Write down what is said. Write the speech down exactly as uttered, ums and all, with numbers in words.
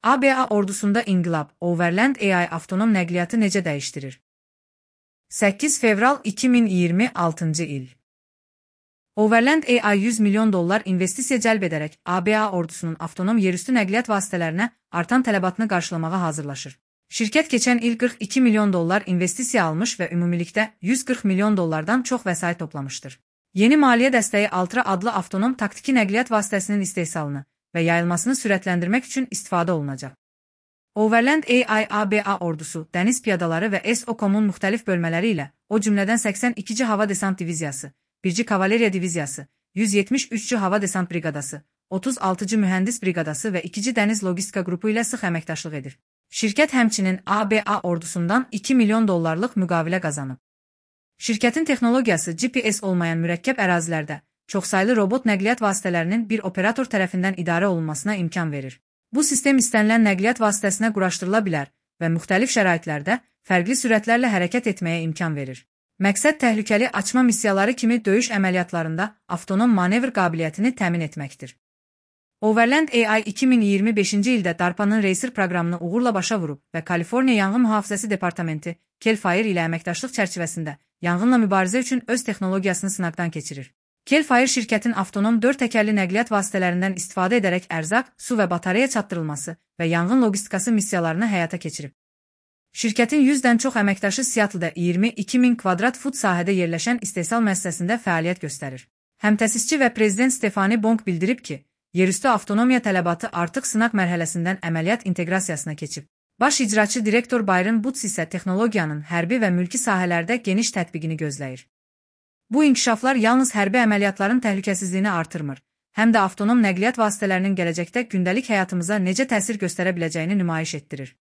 A B A ordusunda inqilab, Overland A I avtonom nəqliyyatı necə dəyişdirir? səkkiz fevral iki min iyirmi altıncı il. Overland A I yüz milyon dollar investisiya cəlb edərək A B A ordusunun avtonom yerüstü nəqliyyat vasitələrinə artan tələbatını qarşılamağa hazırlaşır. Şirkət keçən il qırx iki milyon dollar investisiya almış və ümumilikdə yüz qırx milyon dollardan çox vəsait toplamışdır. Yeni maliyyə dəstəyi Altra adlı avtonom taktiki nəqliyyat vasitəsinin istehsalını və yayılmasını sürətləndirmək üçün istifadə olunacaq. Overland A I A B A ordusu, dəniz piyadaları və S O C O M-un müxtəlif bölmələri ilə, o cümlədən səksən ikinci Hava Desant Diviziyası, birinci Kavaleriya Diviziyası, yüz yetmiş üçüncü Hava Desant Briqadası, otuz altıncı Mühəndis Briqadası və ikinci Dəniz Logistika qrupu ilə sıx əməkdaşlıq edir. Şirkət həmçinin A B A ordusundan iki milyon dollarlıq müqavilə qazanıb. Şirkətin texnologiyası G P S olmayan mürəkkəb ərazilərdə çoxsaylı robot nəqliyyat vasitələrinin bir operator tərəfindən idarə olunmasına imkan verir. Bu sistem istənilən nəqliyyat vasitəsinə quraşdırıla bilər və müxtəlif şəraitlərdə fərqli sürətlərlə hərəkət etməyə imkan verir. Məqsəd təhlükəli açma missiyaları kimi döyüş əməliyyatlarında avtonom manevr qabiliyyətini təmin etməkdir. Overland A I iki min iyirmi beşinci ildə DARPA-nın Racer proqramını uğurla başa vurub və Kaliforniya Yanğın Mühafizəsi Departamenti CAL FIRE ilə əməkdaşlıq çərçivəsində yanğınla mübarizə üçün öz texnologiyasını sınaqdan keçirir. CAL FIRE şirkətin avtonom dörd təkərli nəqliyyat vasitələrindən istifadə edərək ərzaq, su və batareya çatdırılması və yanğın logistikası missiyalarını həyata keçirib. Şirkətin yüzdən çox əməkdaşı Seattle-da iyirmi iki min kvadrat fut sahədə yerləşən istehsal müəssisəsində fəaliyyət göstərir. Həmtəsisçi və prezident Stefani Bong bildirib ki, yerüstü avtonomiya tələbatı artıq sınaq mərhələsindən əməliyyat inteqrasiyasına keçib. Baş icraçı direktor Byron Butts isə texnologiyanın hərbi və mülki sahələrdə geniş tətbiqini gözləyir. Bu inkişaflar yalnız hərbi əməliyyatların təhlükəsizliyini artırmır, həm də avtonom nəqliyyat vasitələrinin gələcəkdə gündəlik həyatımıza necə təsir göstərə biləcəyini nümayiş etdirir.